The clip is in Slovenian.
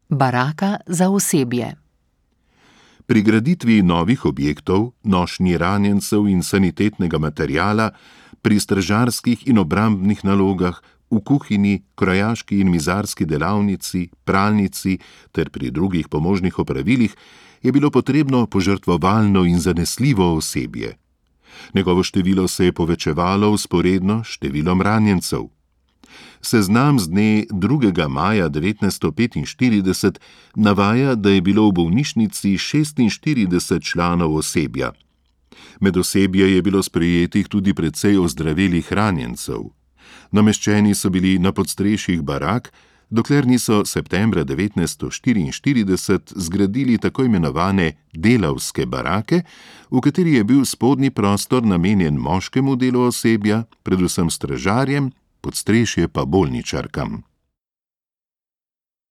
Baraka za osebje. Pri graditvi novih objektov, nošnji ranjencev in sanitetnega materiala, pri stražarskih in obrambnih nalogah, v kuhinji, krojaški in mizarski delavnici, pralnici ter pri drugih pomožnih opravilih je bilo potrebno požrtvovalno in zanesljivo osebje. Njegovo število se je povečevalo vzporedno s številom ranjencev. Seznam z dne 2. maja 1945 navaja, da je bilo v bolnišnici 46 članov osebja. Med osebje je bilo sprejetih tudi precej ozdravelih ranjencev. Nameščeni so bili na podstrešjih barak, dokler niso septembra 1944 zgradili tako imenovane delavske barake, v kateri je bil spodnji prostor namenjen moškemu delu osebja, predvsem stražarjem, podstrešje pa bolničarkam.